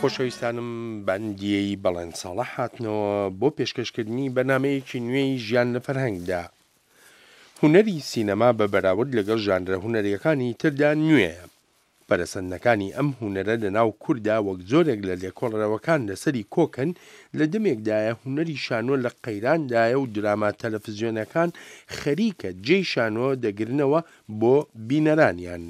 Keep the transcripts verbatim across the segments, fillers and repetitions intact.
خۆشەویستانم بەندیەی بەڵێن ساڵح هاتنەوە بۆ پێشکەشکردنی بەرنامەیەکی نوێی ژیان لە فەرهەنگدا. هونەری سینەما بە بەراورد لەگەڵ ژانرە هونەریەکانی تردا نوێیە. پەرەسەندنەکانی ئەم هونەرە لە ناو کورددا وەک زۆرێک لە لێکۆڵەرەوەکان لەسەری کۆکن، لە دەمێکدایە هونەری شانۆ لە قەیراندایە و دراما تەلەفزیۆنەکان خەریکە جێی شانۆ دەگرنەوە بۆ بینەرانیان.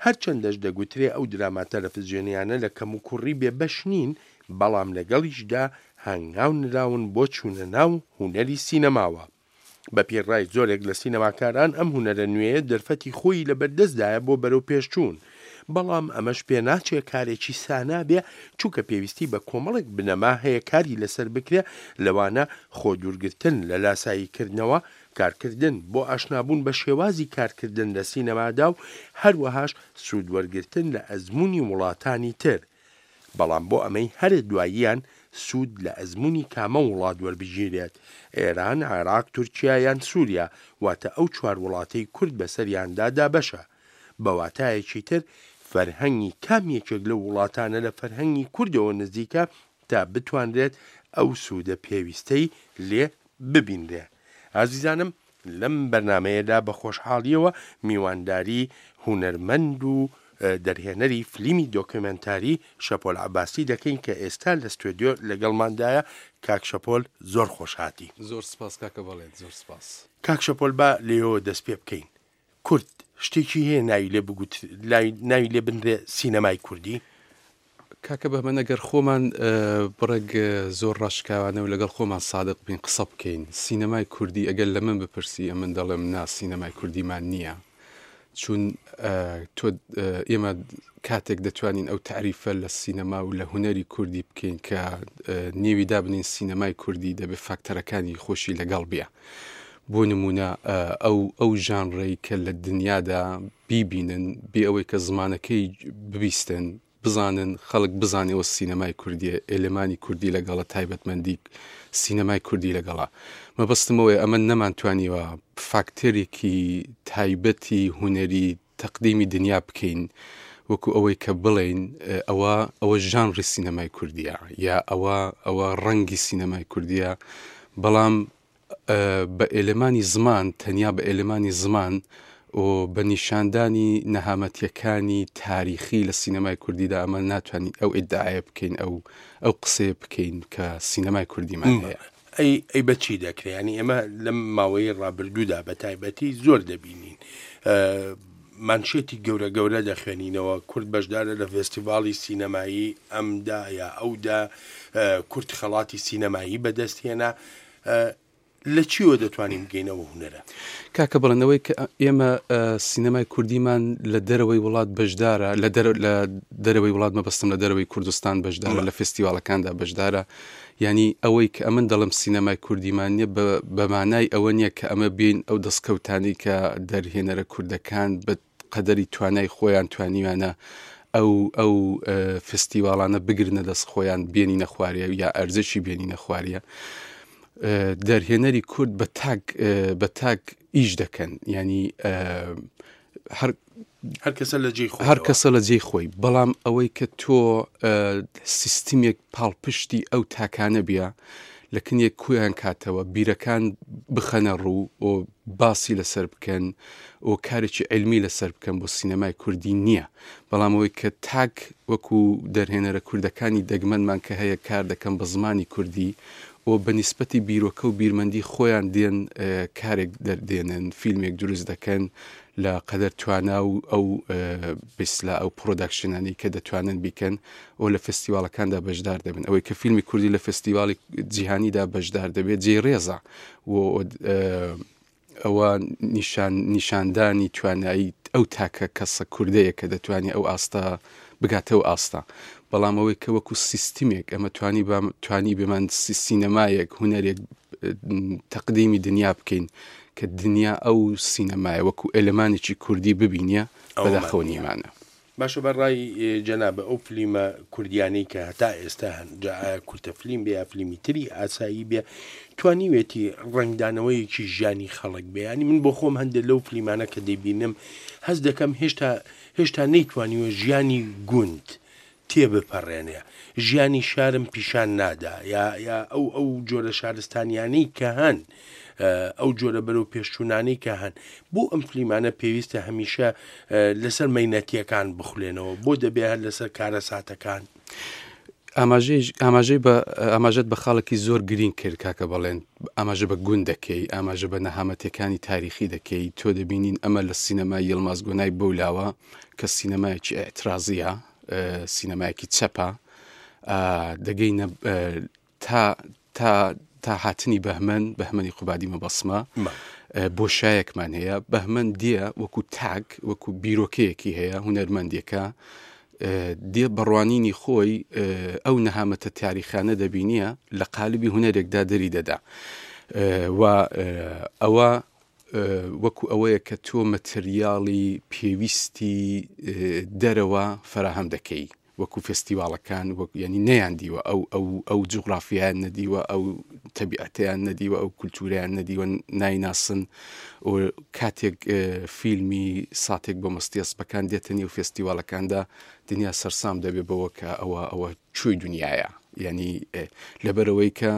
هەرچەندەش دەگوترێ ئەو دراما تەلەفزیۆنیانە لە کەموکوڕی بێبەش نین، بەڵام لەگەڵیشدا هەنگاو نراون بۆ چوونە ناو هونەری سینەماوە. بە پێی ڕای زۆرێک لە سینەماکاران ئەم هونەرە نوێیە دەرفەتی خۆی لەبەردەستدایە بۆ بەرەوپێشچوون، بەڵام ئەمەش پێناچێ کارێکی سانا بێ، چونکە پێویستی بە کۆمەڵێک بنەما هەیە کاری لەسەر بکرێ، لەوانە خۆ دوورگرتن لە لاساییکردنەوە، کارکردن بۆ ئاشنابوون بە شێوازی کارکردن لە سینەمادا و هەروەهاش سوودوەرگرتن لە ئەزموونی وڵاتانی تر. بەڵام بۆ ئەمەی هەرە دواییان سوود لە ئەزموونی کامە وڵات وەربگیرێت، ئێران، عێراق، تورکیا یان سووریا، واتە ئەو چوار وڵاتەی کورد بەسەریاندا دابەشە. بە واتایەکی تر فەرهەنگی کام یەکێک لەو وڵاتانە لە فەرهەنگی کوردەوە نزیکە تا بتوانرێت ئەو سوودە پێویستەی لێ ببینرێ. ئازیزانم لەم بەرنامەیەدا بە خۆشحاڵیەوە میوانداری هونەرمەند و دەرهێنەری فلیمی دۆکیومێنتاری شەپۆل عەباسی دەکەین کە ئێستا لە ستۆدیۆ لەگەڵماندایە. کاک شەپۆل زۆر خۆشهاتی. زۆر سپاس کاکە بەڵێن، زۆر سپاس. کاک شەپۆل با لێەوە دەست پێ بکەین. کورد شتێکی هەیە ناوی لێ بگوت، ناوی لێ بنرێ سینەمای کوردی؟ کاکە بەمن ئەگەر خۆمان بڕێک زۆر ڕاشکاوانە و لەگەڵ خۆمان سادق بین قسە بکەین، سینەمای کوردی ئەگەر لە من بپرسی ئەمن دەڵێم نا، سینەمای کوردیمان نییە. چون تۆ ئێمە کاتێک دەتوانین ئەو تعریفە لە سینەما و لە هونەری کوردی بکەین کە نێوی دابنین سینەمای کوردی، دەبێت فاکتەرەکانی خۆشی لەگەڵ بێ. بۆ نمونە ئەو ئەو ژانرەی کە لە دنیادا بیبینن بێ ئەوەی کە زمانەکەی ببیستن، بزانن خەڵک بزانێەوە سینەمای کوردیە، ئێلمانی کوردی لەگەڵە، تایبەتمەندی سینەمای کوردی لەگەڵە. مەبەستمەوەی ئەمە نەمانتوانیوە فاکتەرێکی تایبەتی هونەری تەقدیمی دنیا بکەین وەکو ئەوەی کە بڵێین ئەوە ئەوە ژانری سینەمای کوردیە یا ئەوە ئەوە ڕەنگی سینەمای کوردیە. بەڵام بە ئێلمانی زمان، تەنیا بە ئێلمانی زمان و بە نیشاندانی نەهامەتیەکانی تاریخی لە سینەمای کوردیدا ئەمە ناتوانین ئەو ئیدعایە بکەین، ئەو ئەو قسەیە بکەین کە سینەمای کوردیمان هەیە. ئەی ئەی بە چی دەکرێت؟ ینی ئێمە لەم ماوەی ڕابردوودا بە تایبەتی زۆر دەبینین مانشێتی گەورە گەورە دەخوێنینەوە، کورد بەشدارە لە فێستیڤاڵی سینەمایی ئەمدا یا ئەودا، کورد خەڵاتی سینەمایی بەدەستهێنا. لە چیوە دەتوانین بگەینەوە هونەرە؟ کاکە بڵێنەوەی کە ئێمە سینەمای کوردیمان لە دەرەوەی وڵات بەشدارە، لە دەرەوەی وڵات مەبەستم لە دەرەوەی کوردستان بەشدارە، لە فێستیواڵەکاندا بەشدارە. یعنی ئەوەی کە ئەمن دەڵم سینەمای کوردیمان نییە بە مانای ئەوە نییە کە ئەمە بین ئەو دەستکەوتانی کە دەرهێنەرە کوردەکان بە قەدەری توانای خۆیان توانیوانە ئەو ئەو فێستیواڵانە بگرنە دەست خۆیان، بێنینە خواریە یا ئەرزشی بێنینە خواریە. دەرهێنەری کورد بە تاک بە تاک ئیش دەکەن، ینی هەر هەر کەسە لە جێی خۆی، هەر کەسە لە جێی خۆی. بەڵام ئەوەی کە تۆ سیستمێک پاڵپشتی ئەو تاکانە بیا لە کنێک کویان کاتەوە، بیرەکان بخەنە ڕوو و باسی لەسەر بکەن و کارێکی علمی لەسەر بکەن بۆ سینەمای کوردی نییە. بەڵام ئەوەی کە تاک وەکو دەرهێنەرە کوردەکانی دەگمەنمان کە هەیە کار دەکەن بە زمانی کوردی و بە نیسبەتی بیرۆکە و بیرمەندی خۆیان دێن کارێک دەردێنن، فیلمێک دروست دەکەن لە قەدەر توانا و ئەو بسلا ئەو پرۆداکشنانی کە دەتوانن بیکەن و لە فێستیواڵەکاندا بەشدار دەبن. ئەوەی کە فیلمی کوردی لە فێستیواڵی جیهانیدا بەشدار دەبێت جێی ڕێزە و ئەوە نیشاندانی توانایی ئەو تاکە کەسە کوردەیە کە دەتوانێت ئەو ئاستا بگاتەوە ئاستا. بەڵام ئەوەی کە وەکو سیستمێک ئەمە توانی توانی بێمان سینەمایەک هونەرێک تەقدیمی دنیا بکەین کە دنیا ئەو سینەمایە وەکو ئێلمانێکی کوردی ببینیە، بەداخەوە نیمانە. باشە بەڕای جەنابە ئەو فلیمە کوردیانەی کە هەتا ئێستا هەن، جا ئایا کورتە فلیم بێ یا فلیمی تری ئاسایی بێ، توانیوێتی ڕەنگدانەوەیەکی ژیانی خەڵک بێ؟ ینی من بۆ خۆم هەندێک لەو فلیمانە کە دەیبینم هەست دەکەم هێشتا هێشتا نەیتوانیوە ژیانی گوند تێبپەڕێنێ، ژیانی شارم پیشان نادا، یا یا ئەو ئەو جۆرە شارستانیانەی کە هەن، ئەو جۆرە بەرەو پێشچوونانەی کە هەن، بۆ ئەم فلیمانە پێویستە هەمیشە لەسەر مەینەتیەکان بخولێنەوە، بۆ دەبێ هەر لەسەر کارەساتەکان؟ ئاماژەی بە ئاماژەت بە خاڵێکی زۆر گرینگ کرد کاکە بەڵێن، ئاماژە بە گوند دەکەی، ئاماژە بە نەهامەتەکانی تاریخی دەکەی. تۆ دەبینین ئەمە لە سینەمای یڵماز گۆنای بەولاوە کە سینەمایەکی ئیعترازیە، سینەمایەکی چەپە، دەگەینە تا تا تا هاتنی بەهمەن، بەهمەنی قوبادی مەبەسمە، بۆشایەکمان هەیە. بەهمەن دیە وەکو تاک، وەکو بیرۆکەیەکی هەیە، هونەرمەندێکە دێ بەڕوانینی خۆی ئەو نەهامەتە تاریخانە دەبینیە لە قالبی هونەرێکدا دەری دەدا. و ئەوە وەکو ئەوەیە کە تۆ مەتریاڵی پێویستی دەرەوە فەراهەم دەکەی، وەکو فێستیواڵەکان، وەک ینی نەیان دیوە، ئەو ئەو ئەو جوگرافیایان نەدیوە، ئەو تەبیعەتیان نەدیوە، ئەو کولتوریان نەدیوە، نایناسن. و کاتێک فیلمی ساتێک بۆ مەستی ئەسپەکان دێتە نێو فێستیواڵەکاندا، دنیا سەرسام دەبێ بەوە کە ئەوە ئەوە کوێی دنیاە. ینی لەبەرەوەی کە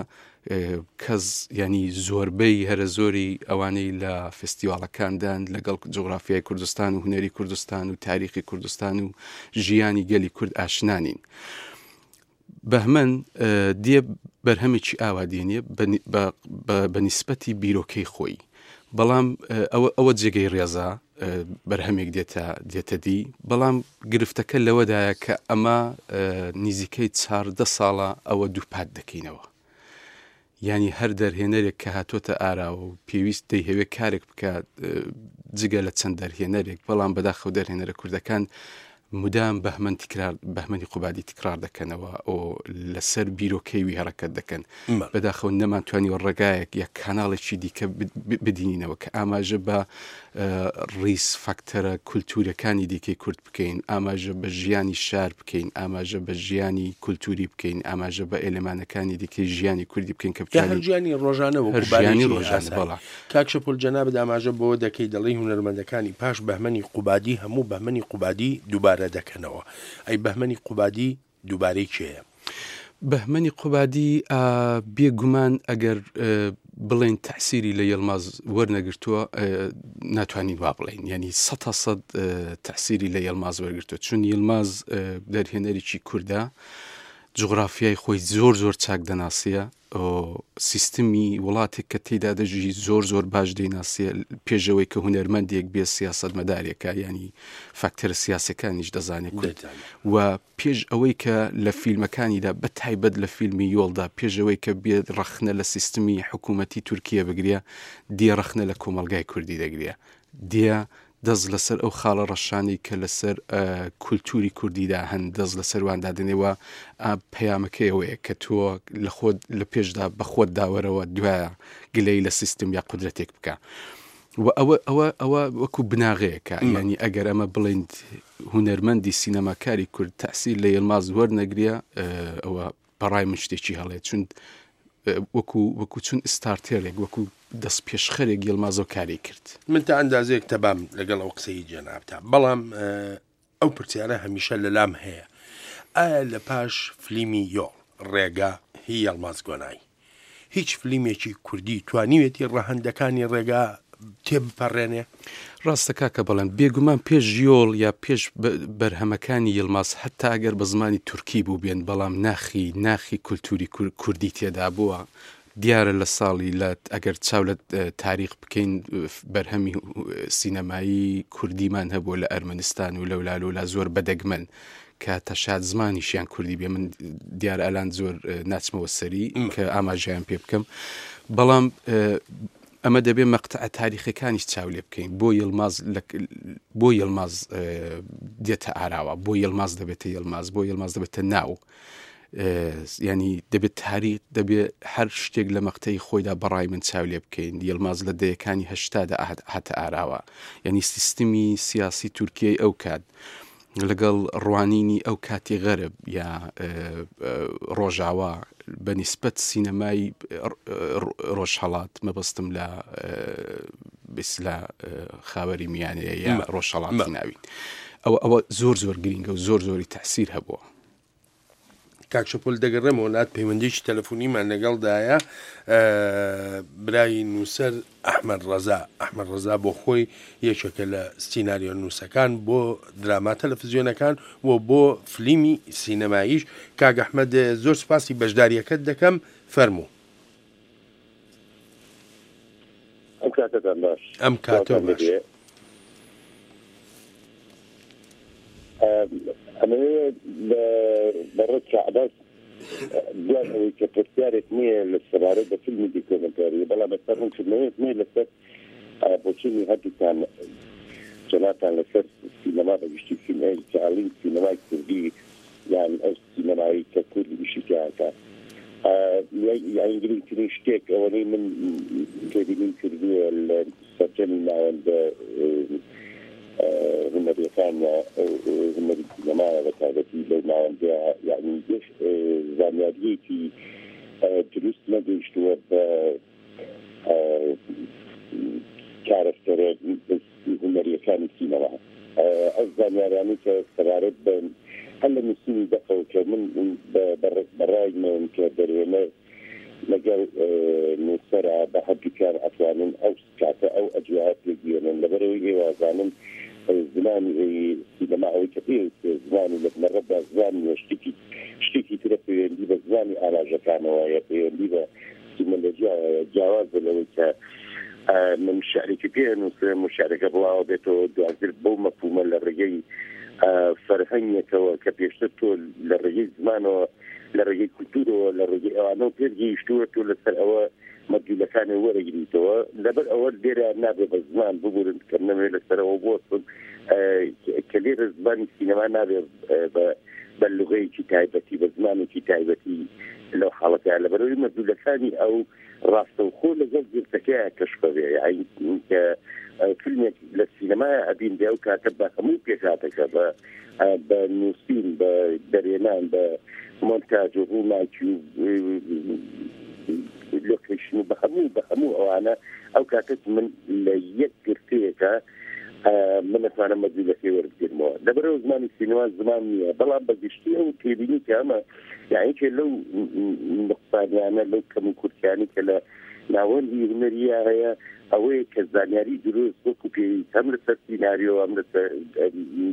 کەس ینی زۆربەی هەرە زۆری ئەوانەی لە فێستیواڵەکاندان لەگەڵ جوگرافیای کوردستان و هونەری کوردستان و تاریخی کوردستان و ژیانی گەلی کورد ئاشنانین. بەهمەن دێ بەرهەمێکی ئاوا دێنێ بە نیسبەتی بیرۆکەی خۆی، بەڵام ئەوە ئەوە جێگەی ڕێزە بەرهەمێک دێتە دێتە دی. بەڵام گرفتەکە لەوەدایە کە ئەمە نزیکەی چاردە ساڵە ئەوە دووپات دەکەینەوە. یعنی هەر دەرهێنەرێک کە هاتۆتە ئاراوە و پێویست دەیهەوێت کارێک بکات جگە لە چەند دەرهێنەرێک، بەڵام بەداخەوە دەرهێنەرە کوردەکان مدام بەهمەن تکرار، بەهمەنی قوبادی تکرار دەکەنەوە و لەسەر بیرۆکەیوی هەڕەکەت دەکەن. بەداخەوە نەمانتوانیوە ڕێگایەک یا کاناڵێکی دیکە بدینینەوە کە ئاماژە بە ڕیز فاکتەرە کولتوورەکانی دیکەی کورد بکەین، ئاماژە بە ژیانی شار بکەین، ئاماژە بە ژیانی کولتووری بکەین، ئاماژە بە ئێلمانەکانی دیکەی ژیانی کوردی بکەین کە بتوانین هەر ژیانی ڕۆژانە وەکو ژیانی ڕۆژانە. بەڵا کاک شەپۆل جەنابت ئاماژە بەوە دەکەی دەڵێی هونەرمەندەکانی پاش بەهمەنی قوبادی هەموو بەهمەنی قوبادی دووبارە دەکەنەوە. ئەی بەهمەنی قوبادی دووبارەی کێیە؟ بەهمەنی قوبادی بێگومان ئەگەر بڵێن تەعسیری لە یڵماز وەرنەگرتووە ناتوانین وا بڵێین، یعنی سەد تا سەد تەعسیری لە یڵماز وەرگرتووە، چون یڵماز دەرهێنەرێکی کوردە، جوگرافیای خۆی زۆر زۆر چاک دەناسیە، سیستمی وڵاتێک کە تێدا دەژی زۆر زۆر باش دەیناسیە، پێشەوەی کە هونەرمەندێک بێ سیاسەتمەدارێکە، ینی فاکتەرە سیاسەکانیش دەزانێت کورد. و پێش ئەوەی کە لە فیلمەکانیدا بە تایبەت لە فیلمی یۆڵدا، پێشەوەی کە بێت ڕەخنە لە سیستمی حکوومەتی تورکیە بگرێ، دێ ڕەخنە لە کۆمەلگای کوردی دەگرێ، دێ دەست لەسەر ئەو خاڵە ڕەشانەی کە لەسەر کولتوری کوردیدا هەن دەست لەسەر واندا دەنێوە. پەیامەکەی ئەوەیە کە تۆ لە خۆت لە پێشدا بە خۆت داوەرەوە دوایە گلەی لە سیستم یا قودرەتێک بکە. و ئەوە ئەوە ئەوە وەکو بناغەیەکە. ینی ئەگەر ئەمە بڵێن هونەرمەندی سینەماکاری کورد تەعسیر لە یڵماز وەرنەگرێ، ئەوە بەڕای من شتێکی هەڵێ، چون وەکو وەکو چون ئستارتێرێک، وەکو دەست پێشخەرێک یڵمازۆ کاری کرد. من تا ئەندازەیەک تەبام لەگەڵ ئەو قسەی جەنابتا، بەڵام ئەو پرسیارە هەمیشە لەلام هەیە، ئایا لە پاش فلیمی یۆڵ ڕێگا هی یڵماز گۆنای هیچ فلیمێکی کوردی توانیوێتی ڕەهەندەکانی ڕێگا تێبپەڕێنێ؟ ڕاستە کاکە بەڵێن، بێگومان پێش یۆڵ یا پێش بەرهەمەکانی یڵماز حتا ئەگەر بە زمانی تورکی بوو بێن، بەڵام ناخی ناخی کولتوری کوردی تێدا بووە. دیارە لە ساڵی لە ئەگەر چاو لە تاریخ بکەین، بەرهەمی سینەمایی کوردیمان هەبووە لە ئەرمەنستان و لەولالولا زۆر بەدەگمەن کە تەشاد زمانیشیان کوردی بێ. من دیار ئەلان زۆر ناچمەوە سەری کە ئاماژەیان پێ بکەم، بەڵام ئەمە دەبێ مەقتەعە تاریخەکانیش چاو لێ بکەین. بۆ یڵماز بۆ یڵماز دێتە ئاراوە، بۆ یڵماز دەبێتە یڵماز، بۆ یڵماز دەبێتە ناو. ینی دەبێت تاریخ، دەبێت هەر شتێک لە مەقتەی خۆیدا بەڕای من چاو لێ بکەین. یڵماز لە دەیەکانی هەشتادا هاتە ئاراوە، یعنی سیستمی سیاسی تورکیای ئەو کات لەگەڵ ڕوانینی ئەو کاتی غەرب یا ڕۆژاوا بە نیسبەت سینەمای ڕۆژهەڵات، مەبەستم لە بەسلا خاوەری میانەیە یا ڕۆژهەڵاتی ناوین، ئەوە ئەوە زۆر زۆر گرینگە و زۆر زۆری تەسیر هەبووە. کاک شەپۆل دەگەڕێمەوە لات، پەیوەندیی تەلەفۆنیمان لەگەڵدایە برای نووسەر ئەحمەد ڕەزا. ئەحمەد ڕەزا بۆ خۆی یەکێکە لە سیناریۆ نووسەکان بۆ دراما تەلەفزیۆنەکان و بۆ فلیمی سینەماییش. کاک ئەحمەد زۆر سوپاسی بەشداریەکەت دەکەم، فەرموو. ئەم کاتەتان باش. ئەم کاتە باش. ئەمەوێ بەڕێز عەباس دوای ئەوەی کە پرسیارێک نییە لە سەبارەت بە فیلمی دیکۆمێنتاری، بەڵام بەسەر ڕوونکردنەوەیەک نییە لەسەر بۆچوونی هەردووکتان جەنابتان لەسەر سینەما بەگشتی، سینەمای سینەمای کوردی یان ئەو سینەمایی کە کوردی ئیشی تیاکە. یان گرنگترین شتێک ئەوەی من تێبینیم کردووە لە سەرجەمی ناوەندە هونەریەکان هونەری سینەمایە بە تایبەتی لەو ناوەندەیە، یعنی زانیاریەکی دروست نەگەیشتووە بە کارەکتەرە هونەریەکانی سینەما. ئەو زانیارانەی کە سەبارەت بە هەر لە نووسینی دەقەوە کە من بەڕای من کە دەرهێنەر لەگەڵ نووسەرە بە هەردووکیان ئەتوانن ئەو کاتە ئەو ئەجوایە پێبگەیەنن. لەبەرەوەی ئێوازانن زمانی سینەما ئەوەی کە پێویستە زمانی لە بنەڕەتدا زمانی شتێکی شتێکی ترە، پەیوەندی بە زمانی ئاماژەکانەوە یا پەیوەندی بە سیمۆلۆژیاوە جیاواز لەوەی کە من شعرێکی پێ نووسم و شعرەکە بڵاوە بێتەوە دواتر بەو مەفهومە لە ڕێگەی فەرهەنگێکەوە کە پێشتر تۆ لە ڕێگەی زمانەوە لە ڕێگەی کولتوورەوە لە ڕێگەی ئەوانەوە پێگەیشتووە تۆ لەسەر ئەوە مەدیولەکانی وەرەگریتەوە. لەبەر ئەوە لێرە نابێ بە زمان ببورن کە نەمەوێت لەسەرەوە بوەستم، کە لێرە زمانی سینەما نابێ بە لغەیەکی تایبەتی بە زمانێکی تایبەتی لەو حاڵەتەیە. لەبەرەوەی مەدیولەکانی ئەو ڕاستەوخۆ لەگەڵ گرتەکەیە کەشفە بێ، یعنی کە فیلمێک لە سینەمایە ئەبین بێ ئەو کاتە بە هەموو پێکهاتەکە بە بە نووسین بە دەرێنان بە مۆنتاج و ڕووناکی و لۆکەیشن و بە هەموو بە هەموو ئەوانە ئەو کاتە من لە یەک گرتەیەکە من ئەتوانم مەدیولەکەی وەربگرمەوە. لەبەرەوە زمانی سینەما زمان نییە، بەڵام بەگشتی ئەو تێبینی کە ئەمە یعنی کە لەو نقصانیانە لەو کەم و کورتیانەی کە لە ناوەندی هونەریە هەیە ئەوەیە کە زانیاری دروست وەکو پێویست هەم لەسەر سیناریۆ هەم لەسەر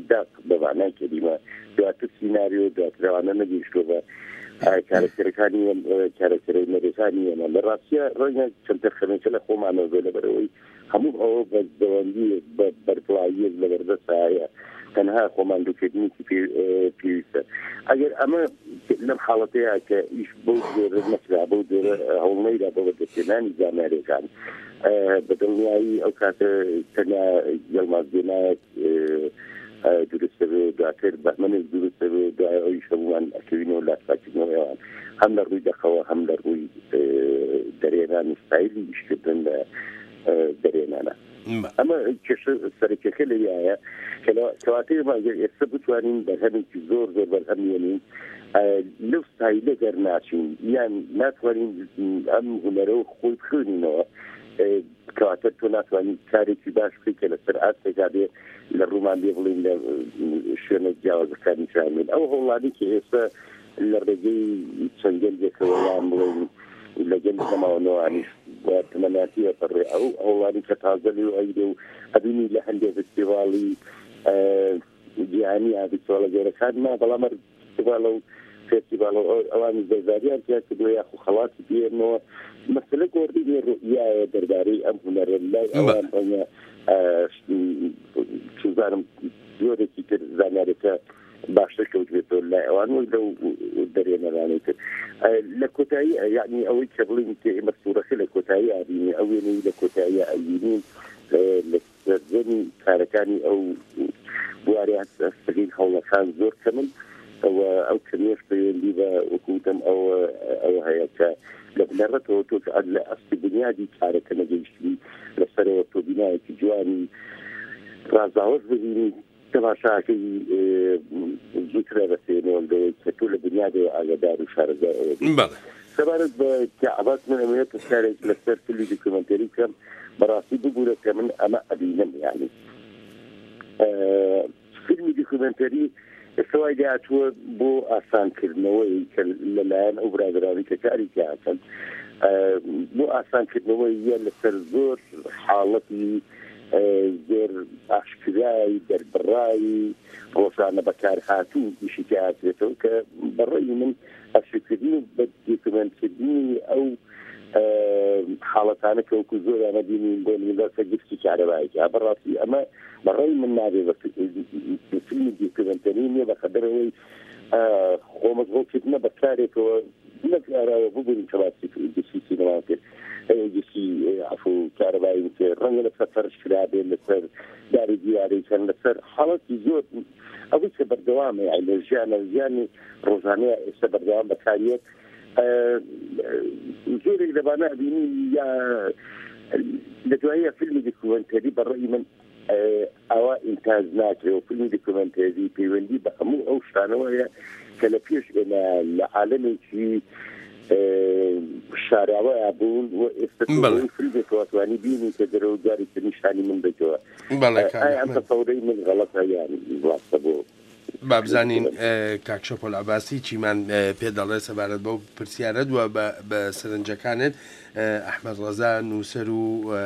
داق بە معنای کەلیمە دواتر سیناریۆ دواتر ئەوانە نەگەیشتووە بە کارەکتەرەکانی کارەکتەرە هونەریەکانی ئێمە. لە ڕاستیە ڕەنگە کەمتەرخەمێکە لە خۆمانەوە بێ، لەبەرەوەی هەموو ئەوە بە زەوەندیەک بە بەرپڵاییەک لەبەردەستە هەیە، تەنها خۆمان دووکردنێکی پێویستە. ئەگەر ئەمە لەم حاڵەتەیە کە ئیش بەو جۆرە نەکرا، بەو جۆرە هەوڵ نەیرا بۆ بەدەستهێنانی زانیاریەکان، بە دڵنیایی ئەو کاتە تەنیا یەڵماز بێنایەک دروستە بێ، دواتر بەهمەنێک دروستە بێ، دوای ئەویش هەموومان ئەکەوینەوە لاساکردنەوە ئەوان هەم لە ڕووی دەقەوە هەم لە ڕووی دەرێنان و ستایلی ئیشکردن لە دەرێنانە. ئەمە کێشە سەرەکیەکە لەویایە کەواتە ئێمە ئەگەر ئێستا بتوانین بەرهەمێکی زۆر زۆر بەرهەم بێنین لەو ستایلە دەرناچین یان ناتوانین ئەم هونەرە خۆی بخوێنینەوە، کەواتە تۆ ناتوانین کارێکی باش بکەیت کە لەسەر ئاستێکا بێ لە ڕوومان بێ بڵین لە شوێنە جیاوازەکانی جیهانین. ئەو هەوڵانەی کە ئێستا لە ڕێگەی چەند گەنجێکەوە یان بڵێین لە گەنج نەماونەوانیش تەمەناتیە پەڕێ، ئەو هەوڵانی کە تازە لێ ئەیرێ و ئەبینی لە هەندێک فستیڤاڵی جیهانی یا فستیڤاڵە گەورەکان نا، بەڵام هەر فستیڤاڵە و فستیڤاڵ ئەوانی بەشداریان تیا کردووە یاخو خەڵاتی پێنەوە. مەسەلە گۆڕینی ڕوئیایە دەربارەی ئەم هونەرە لای ئەوان ڕەنگە چوزانم جۆرێکی تر زانیارێکە باشتر کەوتبێتەوە لای ئەوان وەک لەو دەرێنەرانەی تر. لە کۆتایی یعنی ئەوەی کە بڵین کە ئێمە سوورەکە لە کۆتایی ئابینی ئەو وێنەی لە کۆتایی ئەبینین لە سەرجەمی کارەکانی ئەو بوارە هەستەکەی هەوڵەکان زۆر کەمن و ئەو کەمیەش پەیوەندی بە وەکوتم ئەوە ئەوە هەیە کە لە بنەڕەتەوە تۆ کە لە ئەستی بنیادی کارەکە نەگەیشتبی لەسەرەوە تۆ بینایەکی جوانی ڕازاوەش ببینی تەماشاکەی زووترە بەسێنەوە لەوەی کە تۆ لە بنیادەوە ئاگادار و شارەزای ئەوە بی. سەبارەت بە عەباس من ئەمەوێت پرسیارێک لەسەر فیلمی دیکۆمێنتەری بکەم. بەڕاستی ببوورە کە من ئەمە ئەبینم، یعنی فیلمی دیکۆمێنتەری ئێستا وای لێهاتووە بۆ ئاسانکردنەوەی کە لەلایەن ئەو برادرانی کە کاری تیاکەن بۆ ئاسانکردنەوەی یە لەسەر زۆر حاڵەتی زۆر ئاشکرای دەربڕایی ڕۆژانە بەکارهاتوو ئیشی تیاکرێتەوە کە بەڕێی من ئەرشیفکردن و بە دیکۆمێنتکردنی ئەو حاڵەتانە کە وەکو زۆریانە بینین بۆ نمونە لەسەر گرفتی کارەبایەکە بەڕاستی ئەمە بەڕێی من نابێ بە فیلمی دیکۆمێنتەری نییە بەقەدەرەوەی خۆ مەشغوڵکردنە بە کارێکەوە نەک ئاراوە ببوورین کە باسی گرفتی سینەما کرد گرفتی عەفو کارەبایی کرد ڕەنگە لەسەر فەرش کرابێ لەسەر داری دیوارەی کەن لەسەر حاڵەتی زۆر ئەوەی کە بەردەوامە یعنی لە ژیانە ژیانی ڕۆژانەیە ئێستا بەردەوام بەکاریەت زۆرێک لەبانە ئەبینی یا لە دواییە فیلمی دیکۆمێنتەری بەڕێی من ئەوە ئینتاج ناکرێ و فیلمی دیکۆمێنتەری پەیوەندی بە هەموو ئەو شتانەوەیە کە لە پێش ئێمە لە عالەمێکی شاراوەیە بوون و ئێستا فیلمێکەوە توانی بینی کە دەرەوە جارێکی نیشانی من بێتەوە. ئایا ئەم تەسەورەی من غەڵەتە یان ڕاستە بۆ با بزانین کاک شەپۆل عەباسی چیمان پێ دەڵێ سەبارەت بەو پرسیارە دووە بە سەرنجەکانت. ئەحمەد ڕەزا نووسەر و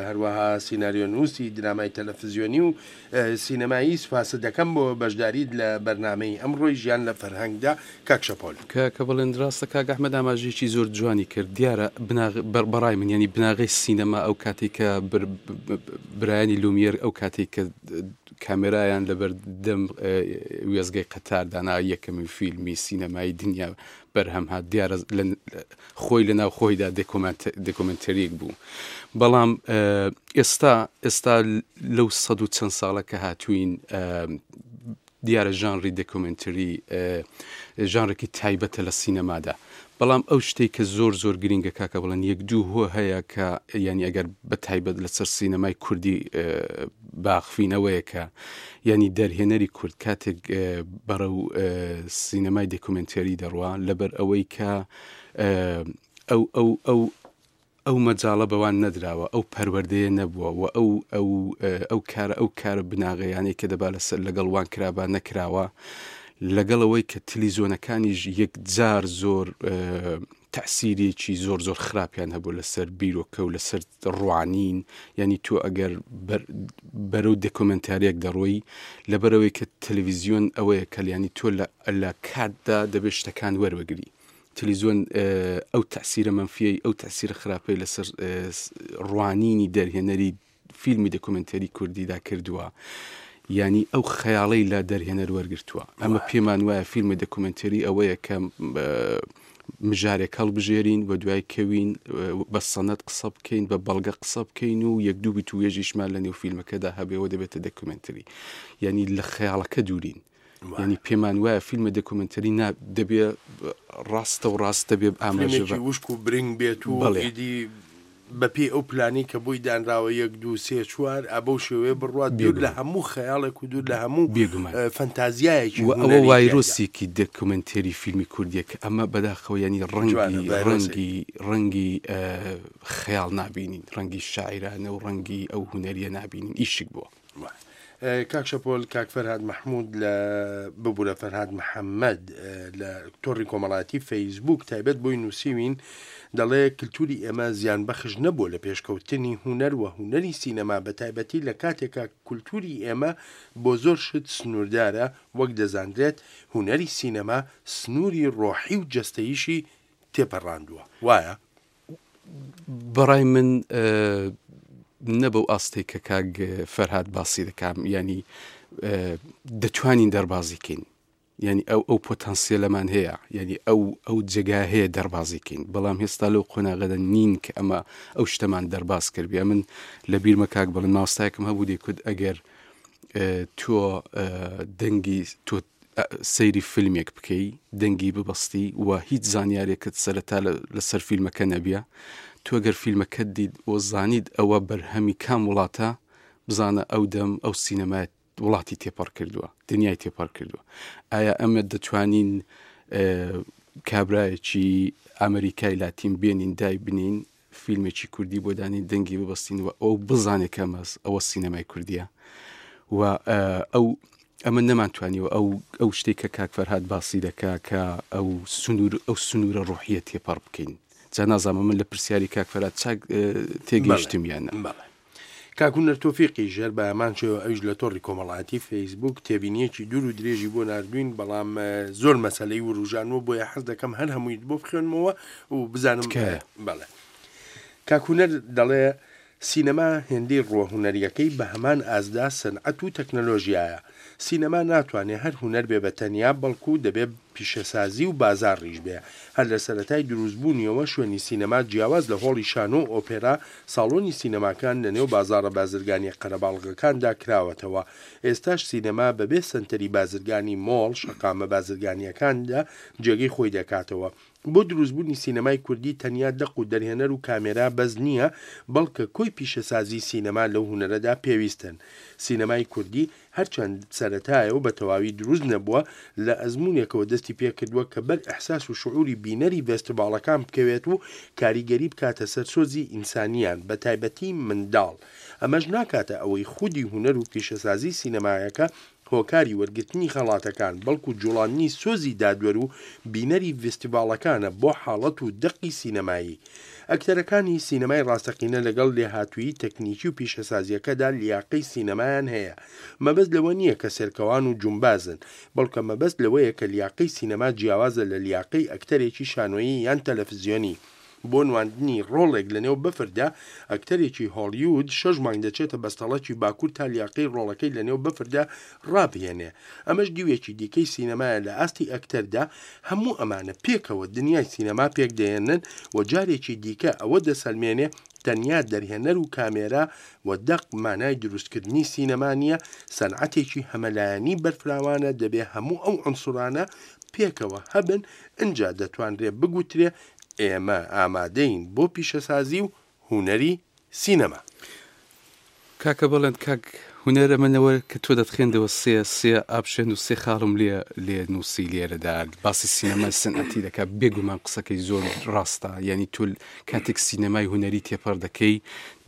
هەروەها سیناریۆنووسی درامای تەلەفزیۆنی و سینەمایی سوپاست دەکەم بۆ بەشداریت لە بەرنامەی ئەمڕۆی ژیان لە فەرهەنگدا. کاک شەپۆل کە بڵێن ڕاستە کاک ئەحمەد ئاماژەیەکی زۆر جوانی کرد. دیارە بەڕای من ینی بناغەی سینەما ئەو کاتێک کە برایانی لومیێر ئەو کاتێک کە کامێرایان لەبەر دەم وێزگەی قەتار دانا یەکەمین فیلمی سینەمایی دنیا بەرهەم هات. دیارە خۆی لەناو خۆیدا دێکۆمێنتەریەک بوو، بەڵام ئێستا ئێستا لەو سەد و چەند ساڵە کە هاتوین دیارە ژانری دێکۆمێنتەری ژانرێکی تایبەتە لە سینەمادا. بەڵام ئەو شتێک کە زۆر زۆر گرنگە کاکە بڵێن یەک دوو هۆ هەیە کە یعنی ئەگەر بە تایبەت لەسەر سینەمای کوردی باخفینەوەیە کە یعنی دەرهێنەری کورد کاتێک بەرەو سینەمای دێکۆمێنتەری دەڕوا لەبەر ئەوەی کە ئەو ئەو ئەو ئەو مەجاڵە بەوان نەدراوە، ئەو پەروەردەیە نەبووە و ئەو ئەو ئەو کارە ئەو کارە بناغەیانەی کە دەبا لەسەر لەگەڵ وان کرابا نەکراوە، لەگەڵ ئەوەی کە تەلەڤیزیۆنەکانیش یەکجار زۆر تەعسیرێکی زۆر زۆر خراپیان هەبوو لەسەر بیرۆکە و لەسەر ڕوانین. یعنی تۆ ئەگەر بەرەو دێکۆمێنتاریەک دەڕۆی لەبەرەوەی کە تەلەڤیزیۆن ئەوەیە کە یعنی تۆ لە کاتدا دەبێت شتەکان وەربگری. تەلەڤیزیۆن ئەو تەعسیرە مەنفیەی ئەو تەعسیرە خراپەی لەسەر ڕوانینی دەرهێنەری فیلمی دێکۆمێنتەری کوردیدا کردووە، یعنی ئەو خەیاڵەی لە دەرهێنەر وەرگرتووە. ئەمە پێمان وایە فیلمی دێکۆمێنتەری ئەوەیە کە مژارێک هەڵبژێرین و دوای کەوین بە سەنەت قسە بکەین، بە بەڵگە قسە بکەین و یەک دوو بیتوێژیشمان لە نێو فیلمەکەدا هەبێەوە دەبێتە دێکۆمێنتەری. یعنی لە خەیاڵەکە دوورین. یعنی پێمان وایە فیلمە دێکۆمێنتەری دەبێ ڕاستە و ڕاست دەبێ ئاماژە فیلمێکی وشک و برنگ بێت و ئیدی بەپێی ئەو پلانی کە بۆی دانراوە یەک دوو سێ چوار ئەبەو شێوەیە بڕوات دوور لە هەموو خەیاڵێک و دوور لە هەموو فەنتازیایەکی و ئەوە وایرۆسێکی دێکۆمێنتەری فیلمی کوردیە کە ئەمە بەداخەوە ینی ڕەنگی ڕەنگی ڕەنگی خەیاڵ نابینین، ڕەنگی شاعیرانە و ڕەنگی ئەو هونەریە نابینین، ئیشک بووە. کاک شەپۆل، کاک فەرهاد مەحموود لە ببوورە فەرهاد محەممەد لە تۆڕی کۆمەڵاتی فەیسبوک تایبەت بۆی نووسیوین دەڵێ کللتوری ئێمە زیان بەخش نەبووە لە پێشکەوتنی هونەر و هونەری سینەما بە تایبەتی لە کاتێکا کللتوری ئێمە بۆ زۆر شت سنووردارە، وەک دەزانرێت هونەری سینەما سنووری ڕۆحی و جەستەییشی تێپەڕاندووە. وایە؟ بەڕای من نەبەو ئاستێک کە کاک فەرهاد باسی دەکام، ینی دەتوانین دەربازی کەین، ینی ئەو ئەو پۆتەنسیەلەمان هەیە، ینی ئەو ئەو جێگا هەیە دەربازی کەین، بەڵام هێستا لەو قۆناغەدا نین کە ئەمە ئەو شتەمان دەرباز کردبێ. من لە بیرمە کاک بڵێن ماوەستایەکم هەبوو دەیکوت ئەگەر تۆ دەنگی تۆ سەیری فیلمێک بکەی دەنگی ببەستی و هیچ زانیارێکت سەرەتا لەسەر فیلمەکە نەبیە، تۆ ئەگەر فیلمەکەت دیت و زانیت ئەوە بەرهەمی کام وڵاتە، بزانە ئەو دەم ئەو سینەمای وڵاتی تێپەڕ کردووە، دنیای تێپەڕ کردووە. ئایا ئەمە دەتوانین کابرایەکی ئەمریکای لاتین بێنین دای بنین فیلمێکی کوردی بۆ دانین دەنگی ببەستین و ئەو بزانێت کە ئەوە سینەمای کوردیە و ئەو ئەمە نەمانتوانیوە ئەو ئەو شتێک کە کاک فەرهاد باسی دەکا کە ئەو سنوور ئەو سنوورە ڕۆحیە تێپەڕ بکەین. جا نازانم من لە پرسیاری کاک فەرهاد چاک تێگەیشتم یان نا. بەڵێ. کاک هونەر تۆفیقی ژێر بە هەمان شێوە ئەویش لە تۆڕی کۆمەڵایەتی فەیسبوک تێبینیەکی دوور و درێژی بۆ ناردوین، بەڵام زۆر مەسەلەی وروژانوە، بۆیە حەز دەکەم هەر هەموویت بۆ بخوێنمەوە و بزانم. تکایە. بەڵێ. کاک هونەر دەڵێ سینەما هێندەی ڕووە هونەریەکەی بە هەمان ئازدا سەنعەت و تەکنەلۆژیایە. سینەما ناتوانێ هەر هونەر بێ بە تەنیا، بەڵکو دەبێ پیشەسازی و بازاڕیش بێ. هەر لە سەرەتای دروستبوونیەوە شوێنی سینەما جیاواز لە هۆڵی شانۆ و ئۆپێرا، ساڵۆنی سینەماکان لەنێو بازاڕە بازرگانیە قەرەباڵغەکاندا کراوەتەوە. ئێستاش سینەما بەبێ سەنتەری بازرگانی مۆڵ، شەقامە بازرگانیەکاندا جێگەی خۆی دەکاتەوە. بۆ دروستبوونی سینەمای کوردی تەنیا دەق و دەرهێنەر و کامێرا بەس نییە، بەڵکە کۆی پیشەسازی سینەما لەو هونەرەدا پێویستن. سینەمای کوردی هەرچەند سەرەتایە و بە تەواوی دروست نەبووە، لە ئەزمونێکەوە دەستی پێکردووە کە بەر ئەحساس و شعوری بینەری ڤێستیڤاڵەکان بکەوێت و کاریگەری بکاتە سەر سۆزی ئینسانیان، بە تایبەتی منداڵ. ئەمەش ناکاتە ئەوەی خودی هونەر و پیشەسازی سینەمایەکە هۆکاری وەرگرتنی خەڵاتەکان، بەڵکو جوڵاندنی سۆزی دادوەر و بینەری ڤێستیڤاڵەکانە بۆ حاڵەت و دەقی سینەمایی. ئەکتەرەکانی سینەمای ڕاستەقینە لەگەڵ لێهاتوویی تەکنیکی و پیشەسازیەکەدا لیاقەی سینەمایان هەیە. مەبەست لەوە نییە کە سێرکەوان و جومبازن، بەڵکە مەبەست لەوەیە کە لیاقەی سینەما جیاوازە لە لیاقەی ئەکتەرێکی شانۆیی یان تەلەفزیۆنی. بۆ نواندنی ڕۆڵێک لەنێو بەفردا، ئەکتەرێکی هۆلیوود شەش مانگ دەچێتە بەستەڵەکی باکوور تا لیاقەی ڕۆڵەکەی لەنێو بەفردا ڕابهێنێ. ئەمەش دیوێکی دیکەی سینەمایە لە ئاستی ئەکتەردا. هەموو ئەمانە پێکەوە دنیای سینەما پێکدەهێنن و جارێکی دیکە ئەوە دەسەلمێنێ تەنیا دەرهێنەر و کامێرا و دەق مانای دروستکردنی سینەما نییە، سەنعەتێکی هەمەلایەنی بەرفراوانە، دەبێ هەموو ئەو عنسورانە پێکەوە هەبن، ئینجا دەتوانرێ بگوترێ ئێمە ئامادەین بۆ پیشەسازی و هونەری سینەما. کاکە بڵێن کاک هونەرە منەوە کە تۆ دەتخێندەوە سێ سێ ئاپشێن و سێ خاڵم لێ لێ نووسی لێرەدا باسی سینەمای سەنعەتی دەکات. بێگومان قسەکەی زۆر ڕاستە، یعنی تۆ کاتێک سینەمای هونەری تێپەڕ دەکەی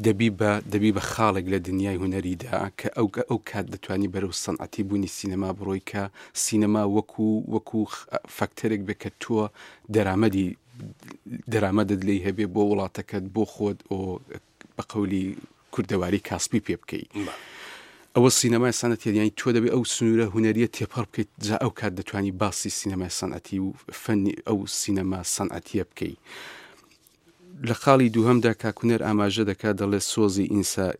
دەبی بە دەبی بە خاڵێک لە دنیای هونەریدا کە ئەو ئەو کات دەتوانی بەرەو سەنعەتی بوونی سینەما بڕۆی، کە سینەما وەکو وەکو فاکتەرێک بێ کە تۆ دەرامەدی دەرامەدت لێی هەبێ بۆ وڵاتەکەت، بۆ خۆت، ئۆ بە قەولی کوردەواری کاسپی پێ بکەی. ئەوە سینەمای سەنعەتی، یعنی تۆ دەبێ ئەو سنوورە هونەریە تێپەڕ بکەیت، جا ئەو کات دەتوانی باسی سینەمای سەنعەتی و فەنی ئەو سینەما سەنعەتیە بکەی. لە خاڵی دووهەمدا کاکونەر ئاماژە دەکات، دەڵێ سۆزی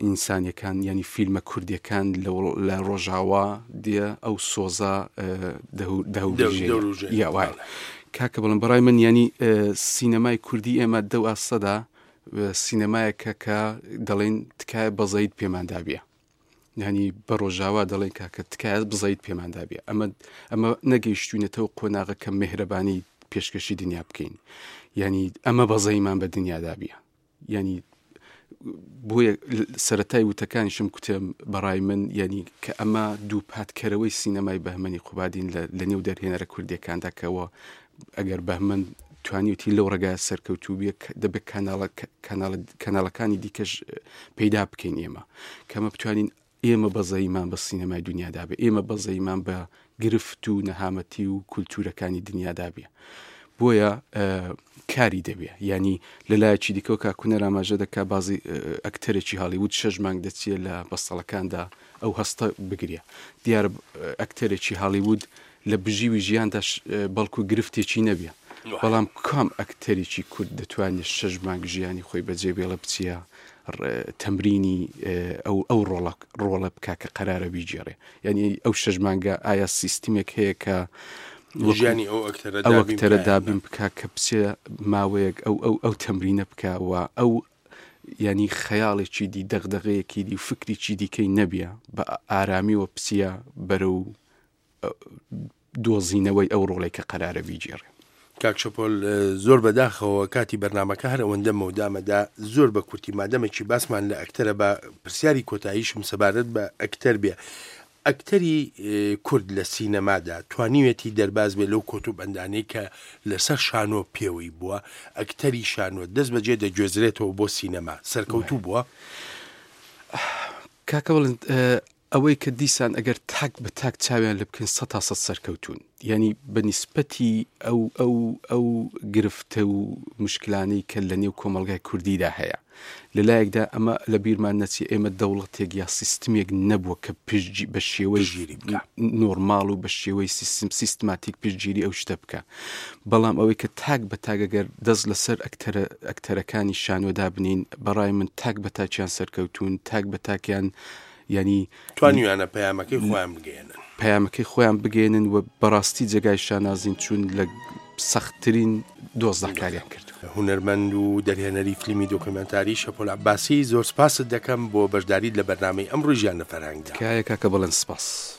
ئینسانیەکان، یعنی فیلمە کوردیەکان لە ڕۆژاوا دێ ئەو سۆزە دەوروژێ. یا وایە. کاکە بڵم بەڕای من یعنی سینەمای کوردی ئێمە دەو ئاستەدا سینەمایەکە کە دەڵێن تکایە بەزەیت پێماندا بێ، یعنی بە ڕۆژاوا دەڵێن کاکە تکایە بزەیت پێماندا بێ. ئەمە ئەمە نەگەیشتوینەتەوە قۆناغە کە مهرەبانی پێشکەشی دنیا بکەین، یعنی ئەمە بەزەیمان بە دنیادا بێ. یعنی بۆیە سەرەتای وتەکانیشم کوتم بەڕای من یعنی کە ئەمە دوو پاتکەرەوەی سینەمای بەهمەنی قوبادین لە نێو دەرهێنەرە کوردیەکاندا، کەەوە ئەگەر بەهمەن توانیوتی لەو ڕێگای سەرکەوتوو بێ دەبێت کەناڵەکانی دیکەش پەیدا بکەین ئێمە، کەمە بتوانین ئێمە بەزەیمان بە سینەمای دنیادا بێ، ئێمە بەزەیمان بە گرفت و نەهامەتی و کولتوورەکانی دنیادا بێ. بۆیە کاری دەبێ. یعنی لەلایەکی دیکەوە کاکونەر ئاماژە دەکا بازی ئەکتەرێکی هالیوود شەش مانگ دەچێت لە بەستەڵەکاندا ئەو هەستە بگرێ. دیارە ئەکتەرێکی هالیوود لە بژیوی ژیاندا بەڵکو گرفتێکی نەبێ، بەڵام کام ئەکتەرێکی کورد دەتوانێت شەش مانگ ژیانی خۆی بەجێ بێڵە بچیە تەمرینی ئەو ئەو ڕۆڵە بکا کە قەرارە بیگێڕێ؟ یعنی ئەو شەش مانگە ئایا سیستمێک هەیە کە ژیانی ئەو ئەکتەرە ئەو ئەکتەرە دابین بکا کە بچێ ماوەیەک ئەو ئەو ئەو تەمرینە بکا و ئەو یعنی خەیاڵێکی دی، دەغدەغەیەکی دی و فکرێکی دیکەی نەبیە، بە ئارامیەوە بچیە بەرەو دۆزینەوەی ئەو ڕۆڵێک کە قەرارە بیگێڕێ. کاک شەپۆل، زۆر بەداخەوە کاتی بەرنامەکە هەر ئەوەندە مەودامەدا زۆر بە کورتی مادەمێکی باسمان لە ئەکتەرە بە پرسیاری کۆتاییشم سەبارەت بە ئەکتەر بێ. ئەکتەری کورد لە سینەمادا توانیوێتی دەرباز بێ لەو کۆت و بەندانەی کە لەسەر شانۆ پێوەی بووە، ئەکتەری شانۆ دەست بەجێ دەگوێزرێتەوە بۆ سینەما، سەرکەوتوو بووە؟ کاکە بڵند، ئەوەی کە دیسان ئەگەر تاک بە تاک چاویان لێ بکەین سەد تا سەد سەرکەوتوون، یانی بە نیسبەتی ئەو ئەو ئەو گرفتە و مشکلانەی کە لە نێو کۆمەڵگای کوردیدا هەیە. لە لایەکدا ئەمە لە بیرمان نەچێ ئێمە دەوڵەتێک یا سیستمێک نەبووە کە پشتگی بە شێوەی پشتگیری بکا. نۆرماڵ و بە شێوەی سیستم سیستماتیک پشتگیری ئەو شتە بکا. بەڵام ئەوەی کە تاک بە تاک ئەگەر دەست لەسەر ئەکتەرە ئەکتەرەکانی شانۆ دابنین بەڕای من تاک بە تاکیان سەرکەوتوون، تاک بە تاکیان یانی توانیویانە پەیامەکەی خۆیان بگەیەنن. پەیامەکەی خۆیان بگەیەنن و بەڕاستی جێگای شانازین چوون لە سەختترین دۆزدا کاریان کردووە. هونەرمەند و دەرهێنەری فیلمی دۆکۆمێنتاری شەپۆل عەباسی، زۆر سپاست دەکەم بۆ بەشداریت لە بەرنامەی ئەمڕۆی ژیان لە فەرهەنگدا. تکایە کاکە بەڵێن سپاس.